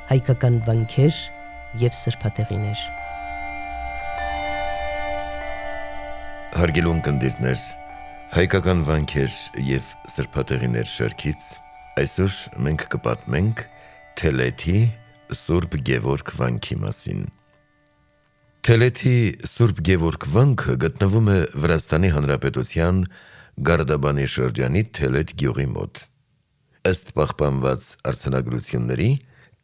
հայկական վանքեր և սրբատեղիներ։ Հարգելի ունկնդիրներ, հայկական վանքեր և սրբատեղիներ շարքից այսօր մենք կպատմենք Թելեթի Սուրբ Գևորգ վանքի մասին։ Թելեթի Սուրբ Գևորգ վանքը գտնվում է Վրաստանի Հանրապետության Գարդաբանի շրջանի Թելեթ գյուղի մոտ։ Ըստ պահպանված արձանագրությունների,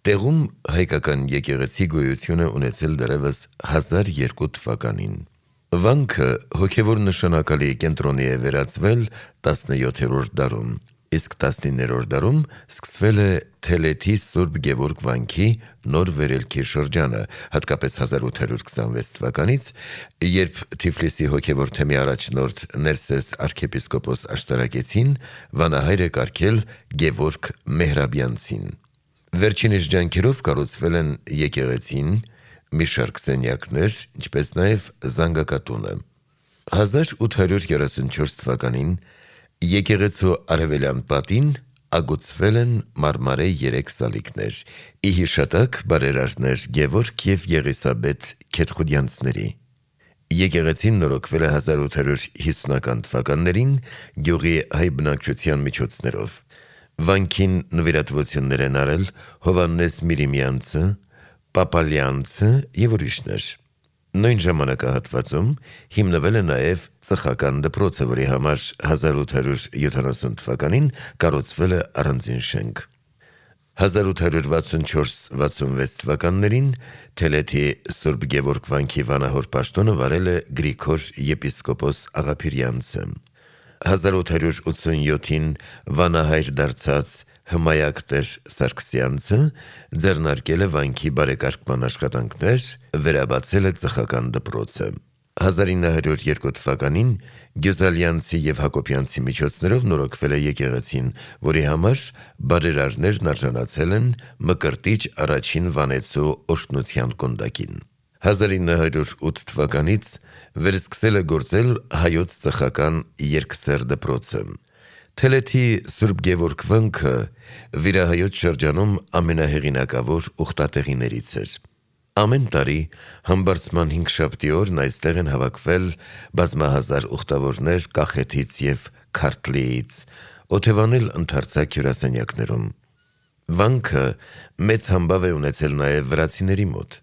տեղում հայկական եկեղեցի գոյություն է ունեցել դեռևս 1002 թվականին։ Վանքը հոգևոր նշանակալի կենտրոնի է վերածվել 17-րդ դարում, իսկ 19-րդ դարում սկսվել է Թելեթի Սուրբ Գևորգ վանքի նոր վերելքի շրջանը, հատկապես 1826 թվականից, երբ Թիֆլիսի հոգևոր թեմի առաջնորդ Ներսես arczepiskopos աշտարակեցին վանահայր է կարգել Գևորգ Մեհրաբյանցին։ Վերջինիս ջանքերով կառուցվել են եկեղեցին, մի շարք սենյակներ, ինչպես նաև զանգակատունը։ 1834 թվականին եկեղեցու արևելյան պատին ագուցվել են մարմարե 3 սալիկներ՝ ի հիշատակ բարերարներ Գևորգ և Եղիսաբեթ Քեթխուդյանցների։ Եկեղեցին նորոգվել է 1850-ական թվականներին գյուղի հայ բնակչության միջոցներով։ Վանքին նվիրատվություններ են արել Հովհաննես Միրիմյանցը, Պապալյանցը և ուրիշներ։ Նույն ժամանակահատվածում հիմնվել է նաև ծխական դպրոցը, որի համար 1870 թվականին կառուցվել է առանձին շենք։ 1864-66 թվականներին Թելեթի Սուրբ Գևորգ վանքի վանահոր պաշտոնը վարել է Գրիգոր եպիսկոպոս Աղափիրյանցը։ 1887-ին վանահայր դարձած Հմայակ տեր Սարգսյանցը ձեռնարկել է վանքի բարեկարգման աշխատանքներ, վերաբացել է ծխական դպրոցը։ 1902 թվականին Գյուզալյանցի և Հակոբյանցի միջոցներով նորոգվել է եկեղեցին, որի համար բարերարներն արժանացել են Մկրտիչ առաջին վանեցու օրհնության կոնդակին։ 1908 թվականից վերսկսել է գործել հայոց ծխական երկսեռ դպրոցը։ Թելեթի Սուրբ Գևորգ վանքը վիրահայոց շրջանում ամենահեղինակավոր ուխտատեղիներից էր։ Ամեն տարի Համբարձման հինգշաբթի օրն այստեղ են հավաքվել բազմահազար ուխտավորներ Կախեթից և Քարթլիից, օթևանել ընդարձակ հյուրասենյակներում։ Վանքը մեծ համբավ է ունեցել նաև վրացիների մոտ։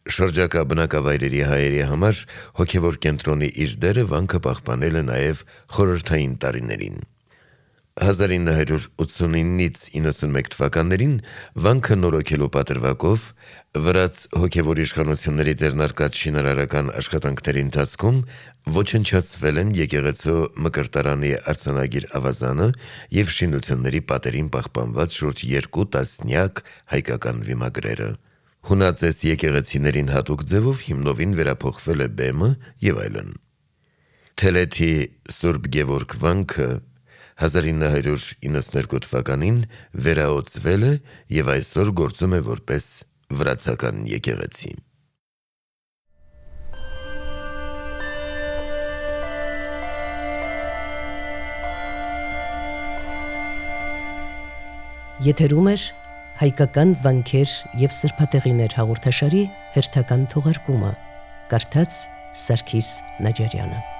Շրջակա բնակավայրերի հայերի համար հոգևոր կենտրոնի իր դերը վանքը պահպանել է նաև խորհրդային տարիներին։ 1989-ից 91 թվականներին վանքը նորոգելու պատրվակով վրաց հոգևոր իշխանությունների ձեռնարկած շինարարական աշխատանքների ընթացքում ոչնչացվել են եկեղեցու մկրտարանի արձանագիր ավազանը և շինությունների պատերին պահպանված շուրջ 2 տասնյակ հայկական վիմագրերը։ Հունածես եկեղեցիներին հատուկ ձևով հիմնովին վերափոխվել է բեմը և այլն։ Թելեթի Սուրբ Գևորգ վանքը 1992 թվականին վերաօծվել է և այսօր գործում է որպես վրացական եկեղեցի։ Եթերում է հայկական վանքեր և սրբատեղիներ հաղորդաշարի հերթական թողարկումը։ Կարդաց Սարգիս Նաջարյանը։